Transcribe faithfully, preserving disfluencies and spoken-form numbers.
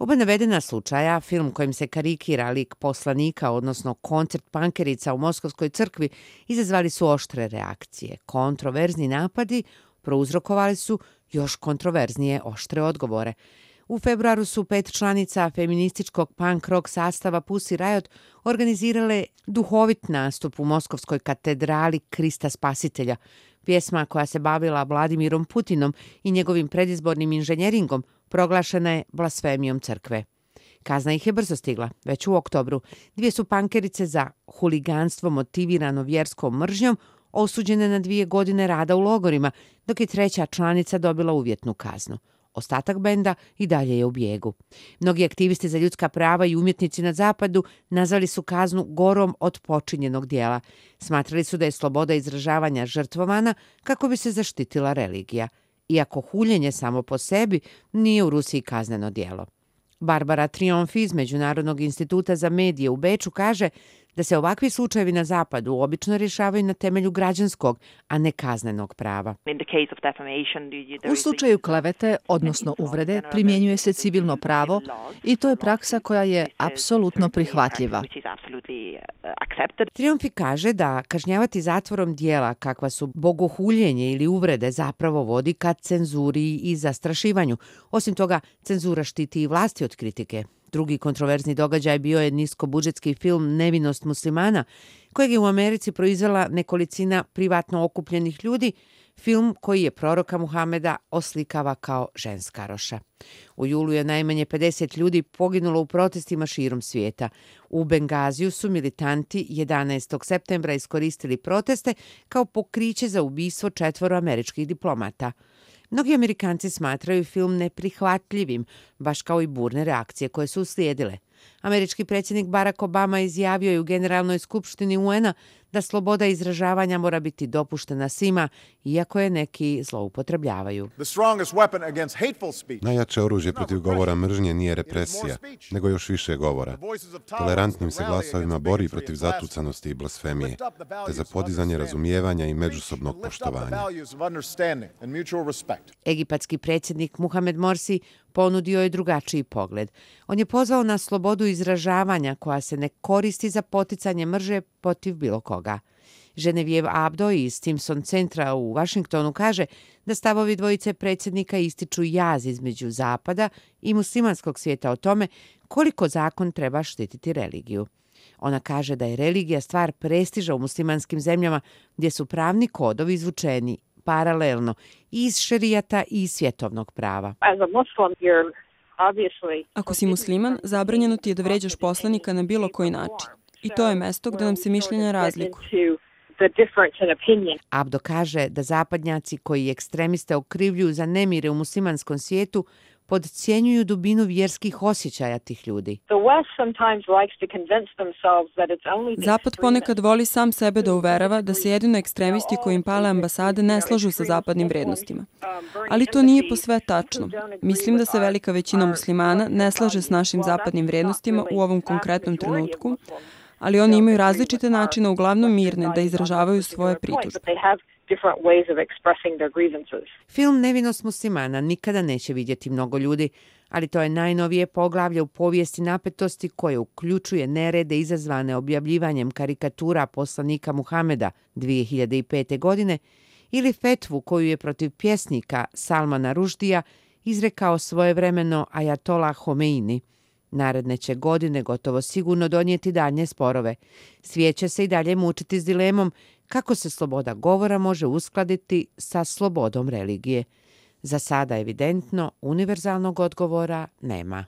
Oba navedena slučaja, film kojim se karikira lik poslanika, odnosno koncert pankerica u Moskovskoj crkvi, izazvali su oštre reakcije. Kontroverzni napadi prouzrokovali su još kontroverznije oštre odgovore. U februaru su pet članica feminističkog punk rock sastava Pussy Riot organizirale duhovit nastup u Moskovskoj katedrali Krista Spasitelja. Pjesma koja se bavila Vladimirom Putinom i njegovim predizbornim inženjeringom proglašena je blasfemijom crkve. Kazna ih je brzo stigla, već u oktobru. Dvije su pankerice za huliganstvo motivirano vjerskom mržnjom osuđene na dvije godine rada u logorima, dok je treća članica dobila uvjetnu kaznu. Ostatak benda i dalje je u bijegu. Mnogi aktivisti za ljudska prava i umjetnici na zapadu nazvali su kaznu gorom od počinjenog dijela. Smatrali su da je sloboda izražavanja žrtvovana kako bi se zaštitila religija. Iako huljenje samo po sebi nije u Rusiji kazneno djelo. Barbara Triumfi iz Međunarodnog instituta za medije u Beču kaže da se ovakvi slučajevi na zapadu obično rješavaju na temelju građanskog, a ne kaznenog prava. U slučaju klevete, odnosno uvrede, primjenjuje se civilno pravo i to je praksa koja je apsolutno prihvatljiva. Triumfi kaže da kažnjavati zatvorom dijela kakva su bogohuljenje ili uvrede zapravo vodi ka cenzuri i zastrašivanju. Osim toga, cenzura štiti i vlasti od kritike. Drugi kontroverzni događaj bio je niskobudžetski film Nevinost muslimana, kojeg je u Americi proizvela nekolicina privatno okupljenih ljudi, film koji je proroka Muhameda oslikava kao ženskaroša. U julu je najmanje pedeset ljudi poginulo u protestima širom svijeta. U Bengaziju su militanti jedanaestog septembra iskoristili proteste kao pokriće za ubistvo četvoro američkih diplomata. Mnogi Amerikanci smatraju film neprihvatljivim, baš kao i burne reakcije koje su uslijedile. Američki predsjednik Barack Obama izjavio je u Generalnoj skupštini U N-a da sloboda izražavanja mora biti dopuštena svima, iako je neki zloupotrebljavaju. Najjače oružje protiv govora mržnje nije represija, nego još više govora. Tolerantnim se glasovima bori protiv zatucanosti i blasfemije, te za podizanje razumijevanja i međusobnog poštovanja. Egipatski predsjednik Muhamed Morsi ponudio je drugačiji pogled. On je pozvao na slobodu izražavanja koja se ne koristi za poticanje mržnje protiv bilo koga. Genevieve Abdo iz Stimson centra u Vašingtonu kaže da stavovi dvojice predsjednika ističu jaz između Zapada i muslimanskog svijeta o tome koliko zakon treba štititi religiju. Ona kaže da je religija stvar prestiža u muslimanskim zemljama gdje su pravni kodovi izvučeni paralelno i iz šerijata i iz svjetovnog prava. Ako si musliman, zabranjeno ti je da vređaš poslanika na bilo koji način. I to je mesto gdje nam se mišljenja razlikuju. Abdo kaže da zapadnjaci koji ekstremiste okrivljuju za nemire u muslimanskom svijetu podcjenjuju dubinu vjerskih osjećaja tih ljudi. Zapad ponekad voli sam sebe da uverava da se jedino ekstremisti koji im pale ambasade ne slažu sa zapadnim vrednostima. Ali to nije posve tačno. Mislim da se velika većina muslimana ne slaže s našim zapadnim vrednostima u ovom konkretnom trenutku, ali oni imaju različite načine, uglavnom mirne, da izražavaju svoje pritužbe. Film Nevinost muslimana nikada neće vidjeti mnogo ljudi, ali to je najnovije poglavlje u povijesti napetosti koje uključuje nerede izazvane objavljivanjem karikatura poslanika Muhameda dvije hiljade pete. godine ili fetvu koju je protiv pjesnika Salmana Ruždija izrekao svojevremeno Ajatola Homeini. Naredne će godine gotovo sigurno donijeti daljnje sporove. Svijet će se i dalje mučiti s dilemom kako se sloboda govora može uskladiti sa slobodom religije. Za sada evidentno univerzalnog odgovora nema.